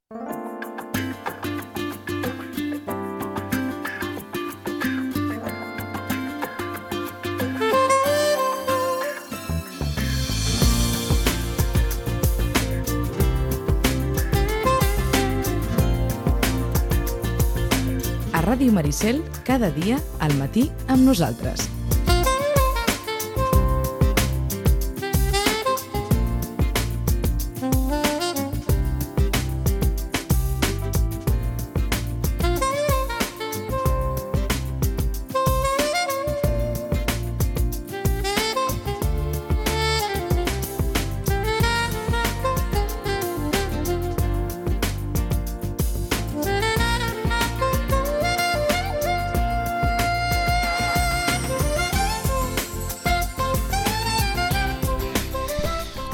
A Ràdio Maricel, cada dia, al matí, amb nosaltres.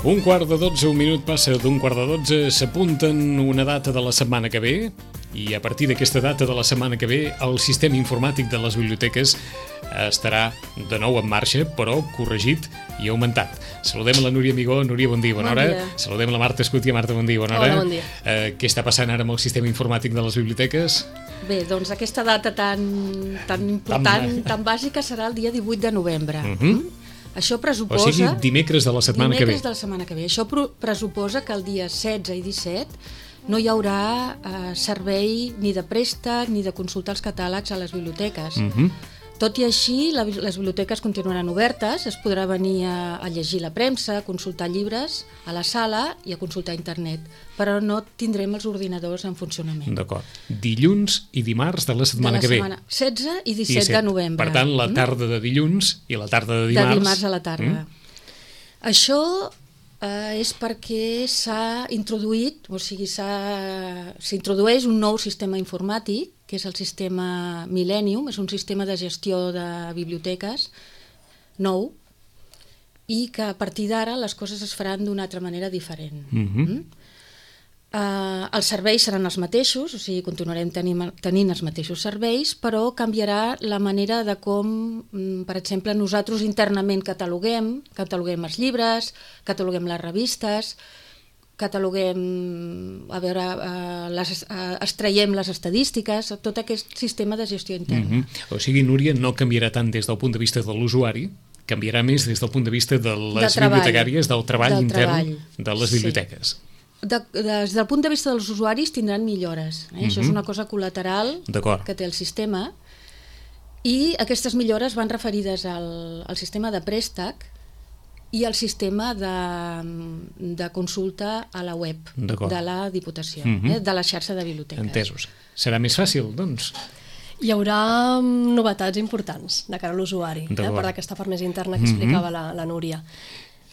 Un quart de 12, un minut passa d'un quart de 12, s'apunten una data de la setmana que ve i a partir d'aquesta data de la setmana que ve el sistema informàtic de les biblioteques estarà de nou en marxa, però corregit i augmentat. Saludem a la Núria Amigó. Núria, bon dia, bona hora. Saludem a la Marta Escutia. Marta, bon dia, bona hora. Hola, bon dia. Què està passant ara amb el sistema informàtic de les biblioteques? Bé, doncs aquesta data tan important, tan bàsica, serà el dia 18 de novembre. Això pressuposa... O sigui, dimecres de la setmana que ve. Dimecres de la setmana que ve. Això pressuposa que el dia 16 i 17 no hi haurà servei ni de préstec ni de consultar els catàlegs a les biblioteques. Tot i així, les biblioteques continuaran obertes, es podrà venir a llegir la premsa, a consultar llibres a la sala i a consultar internet, però no tindrem els ordinadors en funcionament. D'acord. Dilluns i dimarts de la setmana que ve. 16 i 17 de novembre. Per tant, la tarda de dilluns i la tarda de dimarts. De dimarts a la tarda. Això és perquè s'ha introduït, o sigui, s'introdueix un nou sistema informàtic, que és el sistema Millennium, és un sistema de gestió de biblioteques nou, i que a partir d'ara les coses es faran d'una altra manera diferent. Els serveis seran els mateixos, o sigui, continuarem tenint els mateixos serveis, però canviarà la manera de com, per exemple, nosaltres internament cataloguem els llibres, cataloguem les revistes, extraiem les estadístiques, tot aquest sistema de gestió interna. O sigui, Núria, no canviarà tant des del punt de vista de l'usuari, canviarà més des del punt de vista de les bibliotecàries, del treball intern de les biblioteques. Des del punt de vista dels usuaris tindran millores. Això és una cosa col·lateral que té el sistema, i aquestes millores van referides al sistema de préstec i al sistema de consulta a la web de la Diputació, de la xarxa de biblioteques. Entesos. Serà més fàcil, doncs? Hi haurà novetats importants de cara a l'usuari, per aquesta part més interna que explicava la Núria.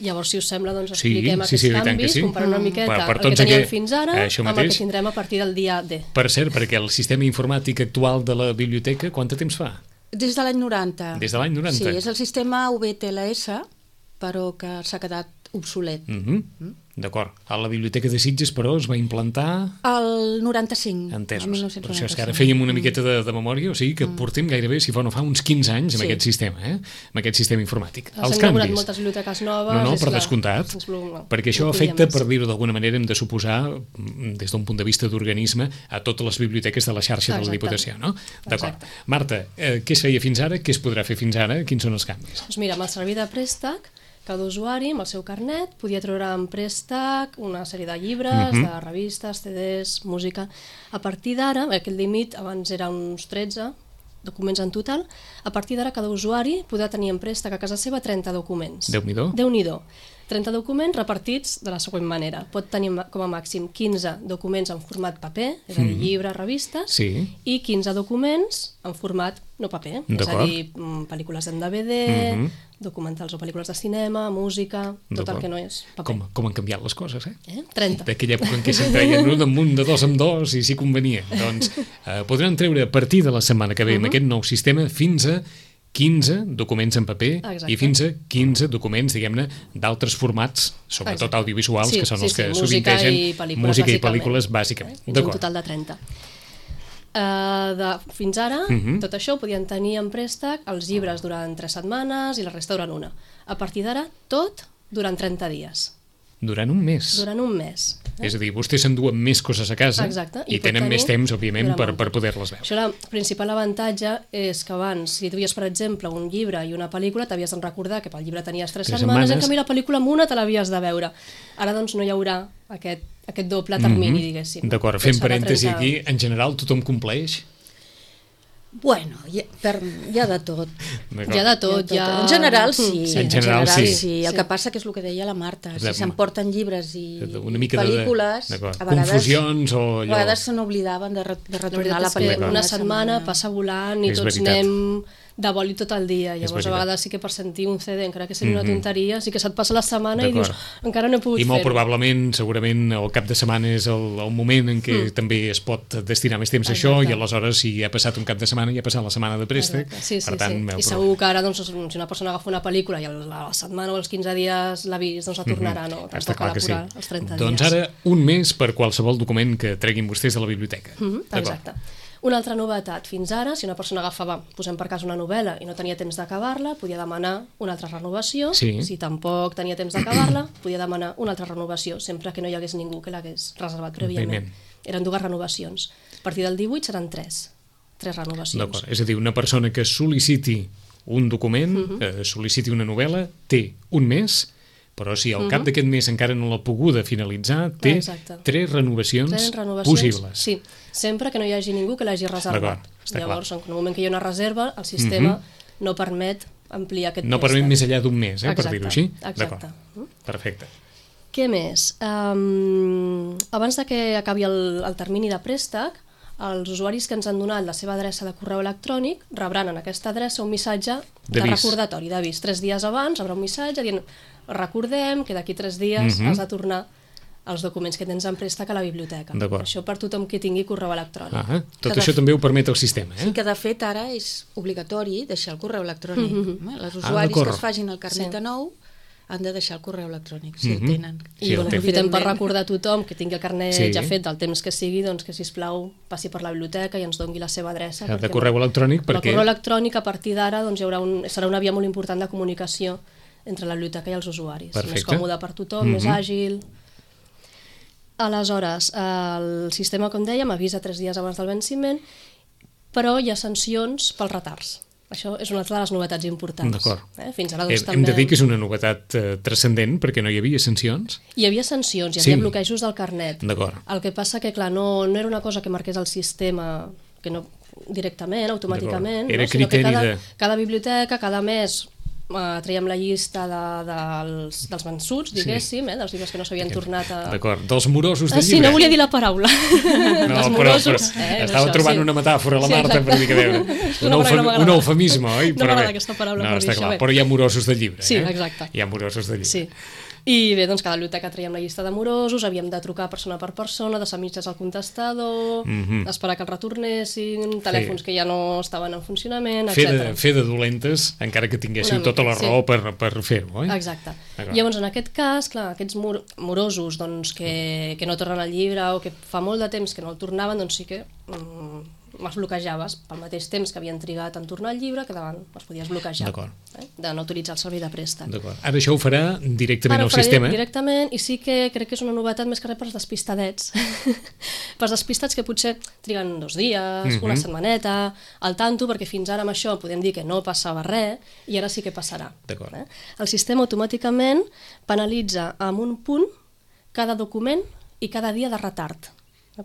Llavors, si us sembla, doncs expliquem aquests canvis, comparant una miqueta el que teníem fins ara amb el que tindrem a partir del dia D. Per cert, perquè el sistema informàtic actual de la biblioteca, quant de temps fa? Des de l'any 90. Des de l'any 90? Sí, és el sistema VTLS, però que s'ha quedat obsolet. D'acord. A la Biblioteca de Sitges, però, es va implantar... El 95. Entesos. Per això és que ara fèiem una miqueta de memòria, o sigui que portem gairebé, si no fa uns 15 anys amb aquest sistema, amb aquest sistema informàtic. Els canvis. S'han inaugurat moltes biblioteques noves. No, per descomptat. Perquè això afecta, per dir-ho d'alguna manera, hem de suposar, des d'un punt de vista d'organisme, a totes les biblioteques de la xarxa de la Diputació, no? D'acord. Marta, què es feia fins ara? Què es podrà fer fins ara? Quins són els canvis? Doncs mira, amb el servei de préstec, cada usuari, amb el seu carnet, podia treure en préstec una sèrie de llibres, de revistes, CDs, música. A partir d'ara, aquest límit abans era uns 13 documents en total, a partir d'ara cada usuari podrà tenir en préstec a casa seva 30 documents. Déu-n'hi-do. Déu-n'hi-do. 30 documents repartits de la següent manera. Pot tenir com a màxim 15 documents en format paper, és a dir, llibres, revistes, i 15 documents en format no paper, és a dir, pel·lícules en DVD, documentals o pel·lícules de cinema, música, tot el que no és paper. Com han canviat les coses, eh? 30. D'aquella època en què se'n treien un damunt de dos en dos i si convenia. Doncs podran treure a partir de la setmana que ve amb aquest nou sistema fins a 15 documents en paper i fins a 15 documents, diguem-ne, d'altres formats, sobretot audiovisuals, que són els que sovintegen música i pel·lícules, bàsicament. Fins un total de 30. Fins ara, tot això ho podien tenir en préstec els llibres durant 3 setmanes i la resta durant 1. A partir d'ara, tot durant 30 dies. Durant un mes? Durant un mes. És a dir, vostès s'enduen més coses a casa. Exacte. I tenen més temps, òbviament, per poder-les veure. Això, el principal avantatge és que abans, si duies, per exemple, un llibre i una pel·lícula, t'havies de recordar que pel llibre tenies 3 setmanes, en canvi la pel·lícula amb una te l'havies de veure. Ara, doncs, no hi haurà aquest doble termini, diguéssim. D'acord, fent parèntesi aquí, en general tothom compleix? Bueno, hi ha de tot. Hi ha de tot. En general, sí. En general, sí. El que passa que és el que deia la Marta, si s'emporten llibres i pel·lícules, a vegades se n'oblidaven de retornar la pel·lícula. Una setmana passa volant i tots anem de boli tot el dia. Llavors, a vegades sí que per sentir un CD, encara que sigui una tonteria, sí que se't passa la setmana i dius, encara no he pogut fer-ho. I molt probablement, segurament, el cap de setmana és el moment en què també es pot destinar més temps a això, i aleshores, si ha passat un cap de setmana, ja ha passat la setmana de préstec. Per tant, i segur que ara, si una persona agafa una pel·lícula i la setmana o els 15 dies l'ha vist, doncs la tornarà, no? Està clar que sí. Els 30 dies. Doncs ara, un mes per qualsevol document que treguin vostès de la biblioteca. Exacte. Una altra novetat, fins ara, si una persona agafava, posem per cas una novel·la i no tenia temps d'acabar-la, podia demanar una altra renovació. Si tampoc tenia temps d'acabar-la, podia demanar una altra renovació, sempre que no hi hagués ningú que l'hagués reservat prèviament. Eren 2 renovacions. A partir del 18 seran 3 renovacions. D'acord, és a dir, una persona que sol·liciti un document, sol·liciti una novel·la, té un mes, però si al cap d'aquest mes encara no l'ha poguda finalitzar, té 3 renovacions possibles. Sí, sempre que no hi hagi ningú que l'hagi reservat. Llavors, en el moment que hi ha una reserva, el sistema no permet ampliar aquest préstec. No permet més enllà d'un mes, per dir-ho així? Exacte. Perfecte. Què més? Abans que acabi el termini de préstec, els usuaris que ens han donat la seva adreça de correu electrònic rebran en aquesta adreça un missatge de recordatori, d'avís. 3 dies abans rebrà un missatge dient recordem que d'aquí 3 dies has de tornar els documents que tens en préstec a la biblioteca. Això per tothom que tingui correu electrònic. Tot això també ho permet el sistema. Sí, que de fet ara és obligatori deixar el correu electrònic. Els usuaris que es facin el carnet de nou han de deixar el correu electrònic, si el tenen. I aprofitem per recordar a tothom que tingui el carnet ja fet del temps que sigui, doncs que, sisplau, passi per la biblioteca i ens doni la seva adreça. De correu electrònic, perquè... El correu electrònic, a partir d'ara, serà una via molt important de comunicació entre la biblioteca i els usuaris. Més còmode per tothom, més àgil. Aleshores, el sistema, com dèiem, avisa 3 dies abans del venciment, però hi ha sancions pels retards. Això és una altra de les novetats importants. D'acord. Fins ara, doncs, hem de dir que és una novetat transcendent, perquè no hi havia sancions. Hi havia sancions, hi havia bloquejos del carnet. D'acord. El que passa que, clar, no era una cosa que marqués el sistema que no directament, automàticament, sinó que cada biblioteca, cada mes traiem la llista dels vençuts, diguéssim, dels llibres que no s'havien tornat a... D'acord, dels morosos de llibre. Sí, no volia dir la paraula. No, però estava trobant una metàfora, la Marta, per dir que veure. Un eufemisme, oi? No m'agrada aquesta paraula per dir això. Però hi ha morosos de llibre. Sí, exacte. Hi ha morosos de llibre. Sí. I bé, doncs cada biblioteca traiem la llista de morosos, havíem de trucar persona per persona, deixar mitges al contestador, esperar que el retornessin, telèfons que ja no estaven en funcionament, etc. Fer de dolentes, encara que tinguéssiu tota la raó per fer-ho, oi? Exacte. Llavors, en aquest cas, clar, aquests morosos que no tornen al llibre o que fa molt de temps que no el tornaven, doncs sí que els bloquejaves pel mateix temps que havien trigat en tornar al llibre, que davant els podies bloquejar de no utilitzar el servei de préstec. Ara això ho farà directament el sistema? Directament, i sí que crec que és una novetat més que res pels despistadets. Pels despistats que potser triguen 2 dies, una setmaneta, al tanto, perquè fins ara amb això podem dir que no passava res, i ara sí que passarà. El sistema automàticament penalitza amb un punt cada document i cada dia de retard.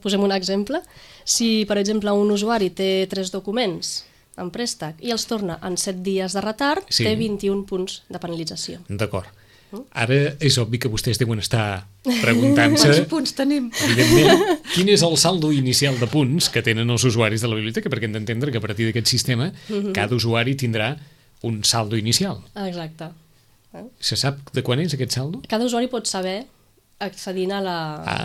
Posem un exemple. Si, per exemple, un usuari té 3 documents en préstec i els torna en 7 dies de retard, té 21 punts de penalització. D'acord. Ara és obvi que vostès deuen estar preguntant-se... Quants punts tenim? Evidentment, quin és el saldo inicial de punts que tenen els usuaris de la biblioteca, perquè hem d'entendre que a partir d'aquest sistema cada usuari tindrà un saldo inicial. Exacte. Se sap de quan és aquest saldo? Cada usuari pot saber, accedint a la...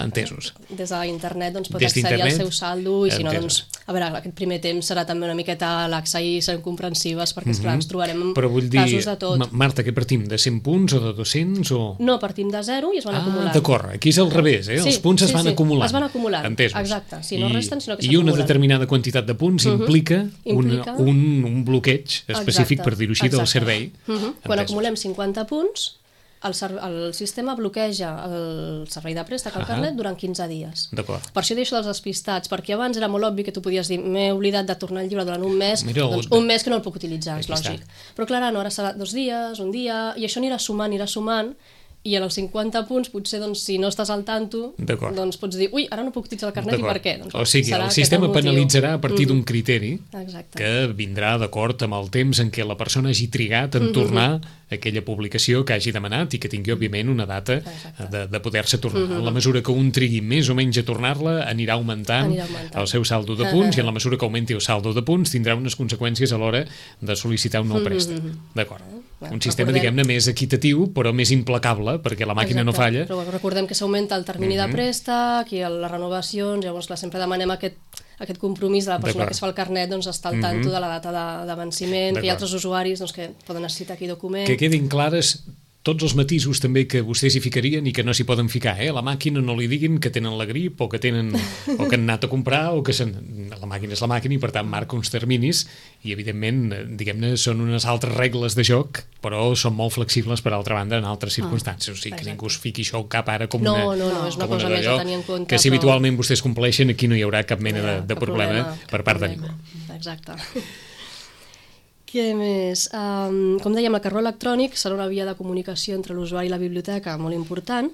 entesos. Des d'internet doncs, pot accedir al seu saldo i si no, doncs, a veure, aquest primer temps serà també una miqueta laxa i seran comprensives perquè, esclar, ens trobarem amb casos de tot. Marta, que partim? De 100 punts o de 200? O... No, partim de 0 i es van acumulant. D'acord, aquí és al revés, els punts es van acumulant. Es van acumulant, entesos. Exacte, si no resten, sinó que s'acumulen. I una determinada quantitat de punts implica un bloqueig específic, per dir-ho així, del servei. Quan acumulem 50 punts, el sistema bloqueja el servei de préstec, el carnet, durant 15 dies. D'acord. Per això deixo dels despistats, perquè abans era molt obvi que tu podies dir m'he oblidat de tornar el llibre durant un mes, doncs un mes que no el puc utilitzar, és lògic. Però clar, no, ara serà 2 dies, un dia, i això anirà sumant, i en els 50 punts, potser, doncs, si no estàs al tanto, doncs pots dir, ui, ara no puc utilitzar el carnet, i per què? Doncs, o sigui, el sistema penalitzarà a partir d'un criteri que vindrà d'acord amb el temps en què la persona hagi trigat en tornar aquella publicació que hagi demanat i que tingui, òbviament, una data de poder-se tornar. En la mesura que un trigui més o menys a tornar-la, anirà augmentant el seu saldo de punts, i en la mesura que augmenti el saldo de punts, tindrà unes conseqüències a l'hora de sol·licitar un nou préstec. D'acord. Un sistema, diguem-ne, més equitatiu, però més implacable, perquè la màquina no falla. Però recordem que s'augmenta el termini de préstec i les renovacions, llavors clar, sempre demanem aquest compromís de la persona que es fa el carnet, doncs estar al tanto de la data de venciment, que hi ha altres usuaris que poden necessitar aquell document. Que quedin clares tots els matisos també que vostès hi ficarien i que no s'hi poden ficar, A la màquina no li diguin que tenen la grip o que han anat a comprar, o que la màquina és la màquina i per tant marca uns terminis i evidentment, diguem-ne, són unes altres regles de joc, però són molt flexibles per altra banda en altres circumstàncies, o sigui que ningú es fiqui això al cap ara com una... No, és una cosa més a tenir en compte. Que si habitualment vostès compleixen, aquí no hi haurà cap mena de problema per part de ningú. Exacte. Què més? Com dèiem, el carró electrònic serà una via de comunicació entre l'usuari i la biblioteca molt important,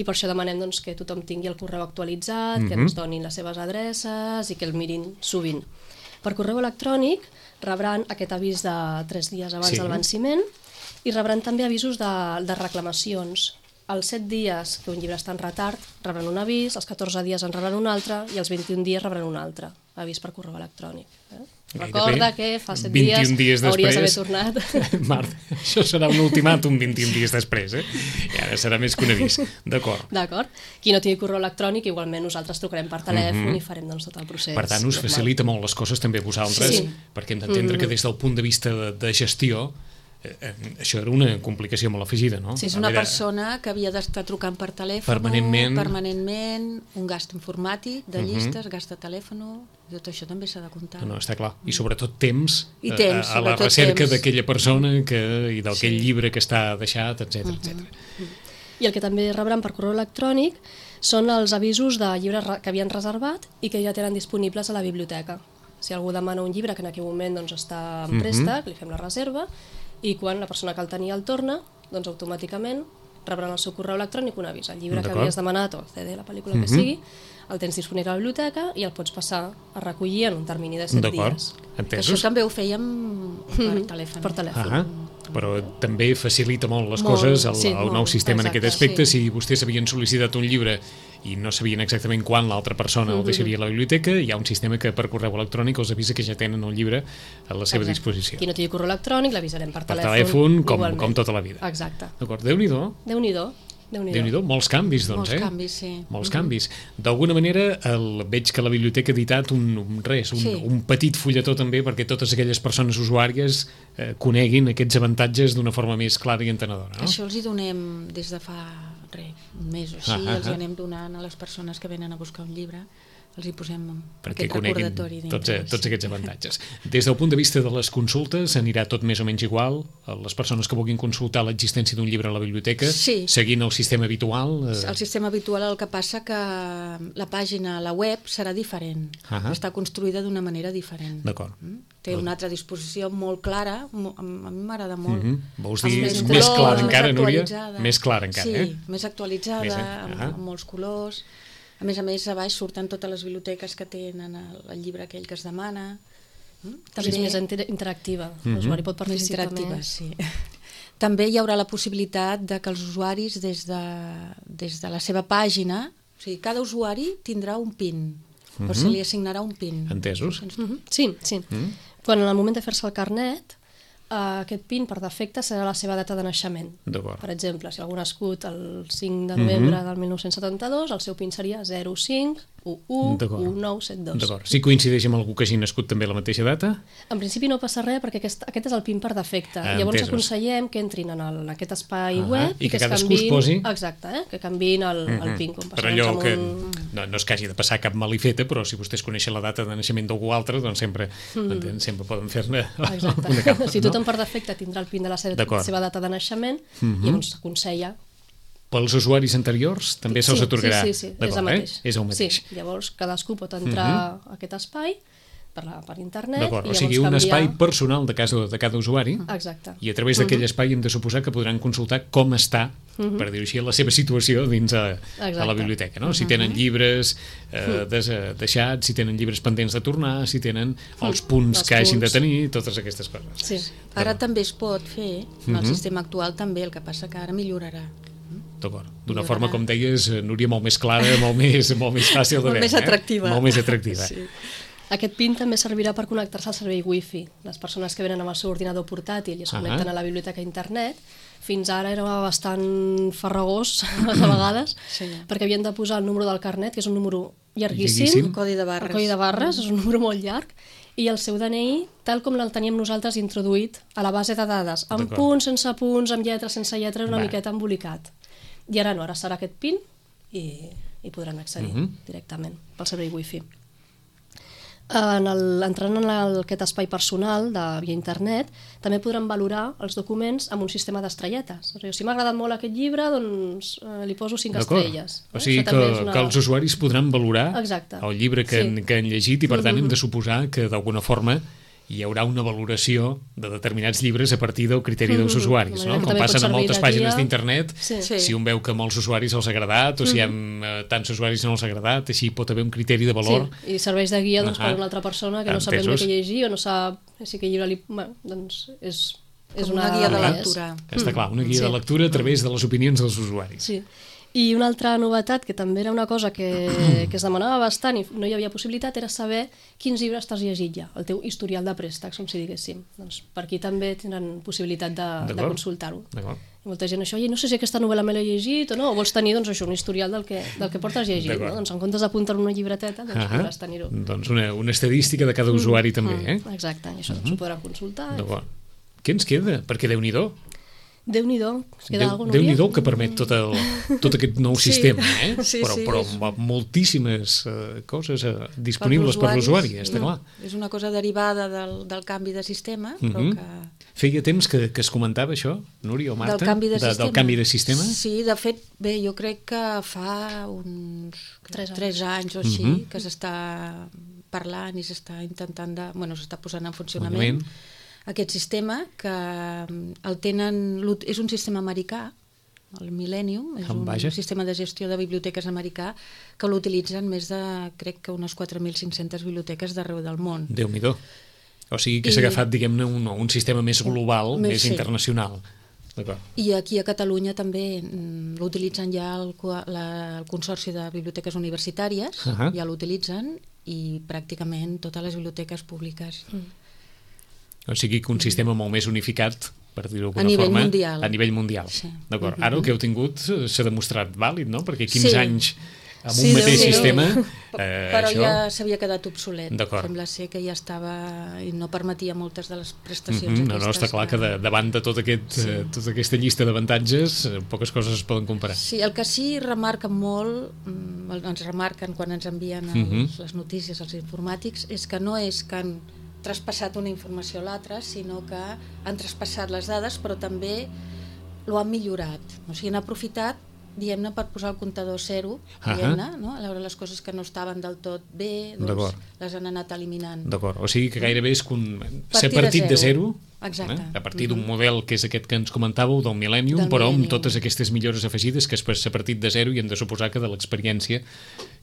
i per això demanem que tothom tingui el correu actualitzat, que ens donin les seves adreces i que el mirin sovint. Per correu electrònic rebran aquest avís de 3 dies abans del venciment i rebran també avisos de reclamacions. Els 7 dies que un llibre està en retard rebran un avís, els 14 dies en rebran un altre i els 21 dies rebran un altre avís per correu electrònic. Recorda que fa 7 dies hauries d'haver tornat. Marta, això serà un ultimàtum 21 dies després, i ara serà més que un avís. D'acord. Qui no tingui correu electrònic, igualment nosaltres trucarem per telèfon i farem tot el procés. Per tant, us facilita molt les coses també vosaltres, perquè hem d'entendre que des del punt de vista de gestió això era una complicació molt afegida, no? Sí, és una persona que havia d'estar trucant per telèfon permanentment, un gast informàtic de llistes, gast de telèfon, tot això també s'ha de comptar. No, està clar. I sobretot temps a la recerca d'aquella persona i d'aquell llibre que està deixat, etc. I el que també rebran per correu electrònic són els avisos de llibres que havien reservat i que ja tenen disponibles a la biblioteca. Si algú demana un llibre que en aquell moment està en préstec, li fem la reserva, i quan la persona que el tenia el torna, doncs automàticament rebran al seu correu electrònic un avís. El llibre que havies demanat, o el CD, la pel·lícula que sigui, el tens disponible a la biblioteca i el pots passar a recollir en un termini de 7 dies. Això també ho fèiem per telèfon. Per telèfon. Però també facilita molt les coses el nou sistema en aquest aspecte. Si vostès havien sol·licitat un llibre i no sabien exactament quan l'altra persona el deixaria a la biblioteca, hi ha un sistema que per correu electrònic els avisa que ja tenen el llibre a la seva disposició. Qui no tingui correu electrònic l'avisarem per telèfon. Per telèfon, com tota la vida. Exacte. D'acord, Déu-n'hi-do. Déu-n'hi-do, molts canvis, doncs, Molts canvis, sí. Molts canvis. D'alguna manera, veig que la biblioteca ha editat un petit fulletó també perquè totes aquelles persones usuàries coneguin aquests avantatges d'una forma més clara i entenedora, no? Això els hi donem des de fa un mes o així, els hi anem donant a les persones que venen a buscar un llibre, els hi posem aquest recordatori dintre. Tots aquests avantatges. Des del punt de vista de les consultes, anirà tot més o menys igual? Les persones que vulguin consultar l'existència d'un llibre a la biblioteca, seguint el sistema habitual? El sistema habitual, el que passa que la pàgina, la web, serà diferent. Està construïda d'una manera diferent. D'acord. Té una altra disposició molt clara, a mi m'agrada molt. Vols dir més clara encara, Núria? Més clara encara, Sí, més actualitzada, amb molts colors. A més, a baix surten totes les biblioteques que tenen el llibre aquell que es demana. També és més interactiva, l'usuari pot participar més. També hi haurà la possibilitat de que els usuaris, des de la seva pàgina, o sigui, cada usuari tindrà un PIN, o se li assignarà un PIN. Entesos? Sí. Quan en el moment de fer-se el carnet, aquest PIN per defecte serà la seva data de naixement. Per exemple, si algú ha nascut el 5 de novembre del 1972, el seu PIN seria 05 111972. D'acord. Si coincideix amb algú que hagi nascut també a la mateixa data? En principi no passa res perquè aquest és el PIN per defecte. Llavors aconsellem que entrin en aquest espai web i que cadascú es posi... Exacte, que canviïn el PIN. Per allò que no és que hagi de passar cap malifeta, però si vostès coneixen la data de naixement d'algú altre, doncs sempre poden fer-ne una capa. Si tothom per defecte tindrà el PIN de la seva data de naixement, llavors s'aconsella. Pels usuaris anteriors també se'ls atorgarà. Sí, és el mateix. És el mateix. Sí, llavors cadascú pot entrar a aquest espai per internet. D'acord, o sigui, un espai personal de cada usuari. Exacte. I a través d'aquell espai hem de suposar que podran consultar com està, per dir-ho així, la seva situació dins a la biblioteca, no? Si tenen llibres deixats, si tenen llibres pendents de tornar, si tenen els punts que hagin de tenir, totes aquestes coses. Sí. Ara també es pot fer, en el sistema actual també, el que passa que ara millorarà. D'acord. D'una forma, com deies, Núria, molt més clara, molt més fàcil de veure. Molt més atractiva. Molt més atractiva. Sí. Aquest PIN també servirà per connectar-se al servei Wi-Fi. Les persones que venen amb el seu ordinador portàtil i es connecten a la biblioteca a internet, fins ara era bastant farragós, a vegades, perquè havien de posar el número del carnet, que és un número llarguíssim. El codi de barres. El codi de barres, és un número molt llarg, i el seu DNI, tal com el teníem nosaltres introduït a la base de dades, amb punts, sense punts, amb lletres, sense lletres, una miqueta embolicat. I ara no, ara serà aquest PIN i podran accedir directament pel servei Wi-Fi. Entrant en aquest espai personal via internet, també podran valorar els documents amb un sistema d'estrelletes. Si m'ha agradat molt aquest llibre, doncs li poso 5 estrelles. O sigui que els usuaris podran valorar el llibre que han llegit i per tant hem de suposar que d'alguna forma hi haurà una valoració de determinats llibres a partir del criteri dels usuaris, no? Com passen a moltes pàgines d'internet, si un veu que a molts usuaris els ha agradat o si a tants usuaris no els ha agradat, així pot haver un criteri de valor. I serveix de guia per una altra persona que no sap ben bé què llegir o no sap si aquest llibre és una guia de lectura. Està clar, una guia de lectura a través de les opinions dels usuaris. Sí. I una altra novetat, que també era una cosa que es demanava bastant i no hi havia possibilitat, era saber quins llibres t'has llegit ja, el teu historial de préstecs, com si diguéssim. Doncs per aquí també tenen possibilitat de consultar-ho. I molta gent això, no sé si aquesta novel·la me l'he llegit o no, o vols tenir doncs, això, un historial del que portes llegit. No? Doncs en comptes d'apuntar una llibreteta, doncs podràs tenir-ho. Doncs una estadística de cada usuari també, Exacte, i això s'ho podran consultar. Què ens queda? Perquè Déu-n'hi-do. Déu-n'hi-do, es queda alguna cosa. Déu-n'hi-do que permet tot aquest nou sistema, però amb moltíssimes coses disponibles per l'usuari, està clar. És una cosa derivada del canvi de sistema, però que... Feia temps que es comentava això, Núria o Marta? Del canvi de sistema? Sí, de fet, bé, jo crec que fa uns 3 anys o així que s'està parlant i s'està intentant s'està posant en funcionament aquest sistema, que el tenen, és un sistema americà, el Millennium, és un sistema de gestió de biblioteques americà que l'utilitzen més de, crec que unes 4.500 biblioteques d'arreu del món. Déu-n'hi-do. O sigui que s'ha agafat, diguem-ne, un sistema més global, més internacional. I aquí a Catalunya també l'utilitzen ja el Consorci de Biblioteques Universitàries, ja l'utilitzen, i pràcticament totes les biblioteques públiques. O sigui que un sistema molt més unificat, per dir-ho d'alguna forma, a nivell mundial. D'acord. Ara el que heu tingut s'ha demostrat vàlid, no? Perquè 15 anys amb un mateix sistema... Però ja s'havia quedat obsolet. Sembla ser que ja estava i no permetia moltes de les prestacions aquestes. No, està clar que davant de tota aquesta llista d'avantatges poques coses es poden comparar. Sí, el que sí remarquen molt, ens remarquen quan ens envien les notícies als informàtics, és que no és que han traspassat una informació a l'altra, sinó que han traspassat les dades, però també ho han millorat. O sigui, han aprofitat, diguem-ne, per posar el comptador zero, diguem-ne, no? A veure les coses que no estaven del tot bé, doncs les han anat eliminant. D'acord, o sigui que gairebé és ser partit de zero, a partir d'un model que és aquest que ens comentàveu, del Millennium, però amb totes aquestes millores afegides que és ser partit de zero i hem de suposar que de l'experiència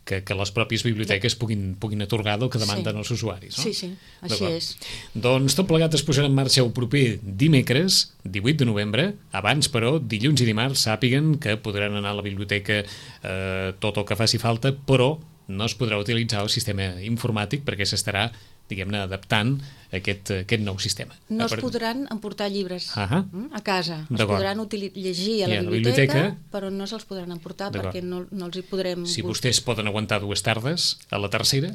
que les pròpies biblioteques puguin atorgar del que demanden els usuaris. Sí, així és. Doncs tot plegat es posarà en marxa el proper dimecres, 18 de novembre. Abans, però, dilluns i dimarts sàpiguen que podran anar a la biblioteca tot el que faci falta, però no es podrà utilitzar el sistema informàtic perquè s'estarà diguem-ne, adaptant aquest nou sistema. No es podran emportar llibres a casa. Es podran llegir a la biblioteca, però no se'ls podran emportar perquè no els hi podrem... Si vostès poden aguantar 2 tardes, a la tercera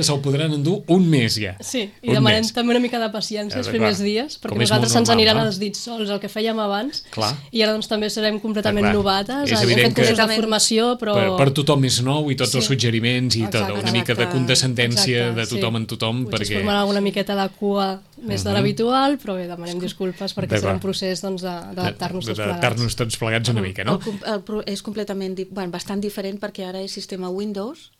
se'l podran endur un mes ja. Sí, i demanem també una mica de paciència els primers dies, perquè nosaltres se'ns aniran els dits sols, el que fèiem abans, i ara doncs també serem completament novates, hem fet cursos de formació, però... Per tothom és nou i tots els suggeriments i una mica de condescendència de tothom en tothom, perquè... Potser es formarà una miqueta de cua més de l'habitual, però bé, demanem disculpes perquè serà un procés d'adaptar-nos tots plegats. D'adaptar-nos tots plegats una mica, no? És completament, bastant diferent perquè ara és sistema Windows,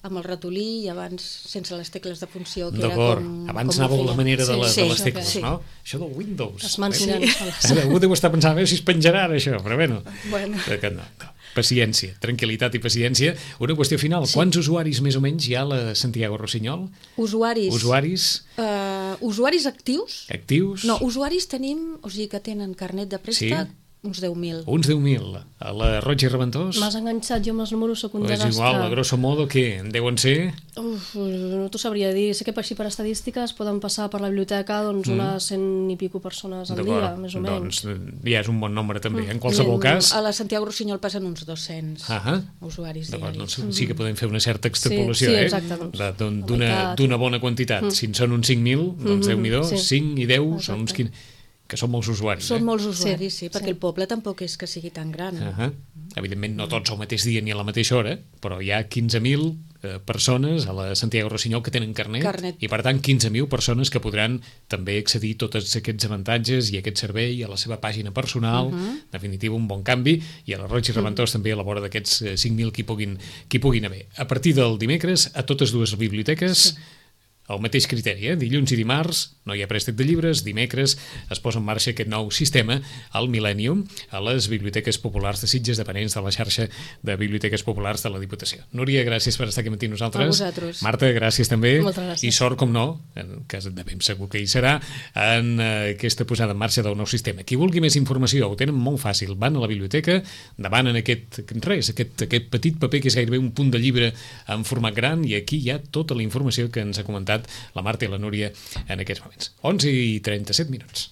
amb el ratolí i abans sense les tecles de funció, que era com... Abans anàveu a la manera de les tecles, no? Això del Windows. Es mantenen soles. Algú deu estar pensant, a veure si es penjarà ara això, però bueno. No. Paciència, tranquil·litat i paciència. Una qüestió final, quants usuaris més o menys hi ha a la Santiago Rossinyol? Usuaris actius? Actius? No, usuaris tenim, o sigui que tenen carnet de préstec, uns 10.000. Uns 10.000. A la Roig i Reventós? M'has enganxat, jo amb els números soc un desastre. És igual, a grosso modo, què? En deuen ser? No t'ho sabria dir. Sé que així per estadístiques poden passar per la biblioteca unes 100 i pico persones al dia, més o menys. Doncs ja és un bon nombre també. En qualsevol cas... A la Santiago Rossinyol passen uns 200 usuaris diaris. Sí que podem fer una certa extrapolació, d'una bona quantitat. Si en són uns 5.000, doncs Déu-n'hi-do, 5 i 10 són uns 15... que són molts usuaris. Són molts usuaris, sí, perquè el poble tampoc és que sigui tan gran. Evidentment no tots al mateix dia ni a la mateixa hora, però hi ha 15.000 persones a la Santiago Rossinyol que tenen carnet, i per tant 15.000 persones que podran també accedir a tots aquests avantatges i aquest servei a la seva pàgina personal, en definitiva un bon canvi, i a la Roig i Reventós també a la vora d'aquests 5.000 qui puguin haver. A partir del dimecres, a totes dues biblioteques, el mateix criteri, dilluns i dimarts no hi ha préstec de llibres, dimecres es posa en marxa aquest nou sistema al Millennium a les biblioteques populars de Sitges, dependents de la xarxa de biblioteques populars de la Diputació. Núria, gràcies per estar aquí amb nosaltres. A vosaltres. Marta, gràcies també. Moltes gràcies. I sort, com no, en cas de ben segur que hi serà, en aquesta posada en marxa del nou sistema. Qui vulgui més informació ho tenen molt fàcil. Van a la biblioteca, demanen aquest petit paper que és gairebé un punt de llibre en format gran, i aquí hi ha tota la informació que ens ha comentat la Marta i la Núria en aquests moments. 11:37.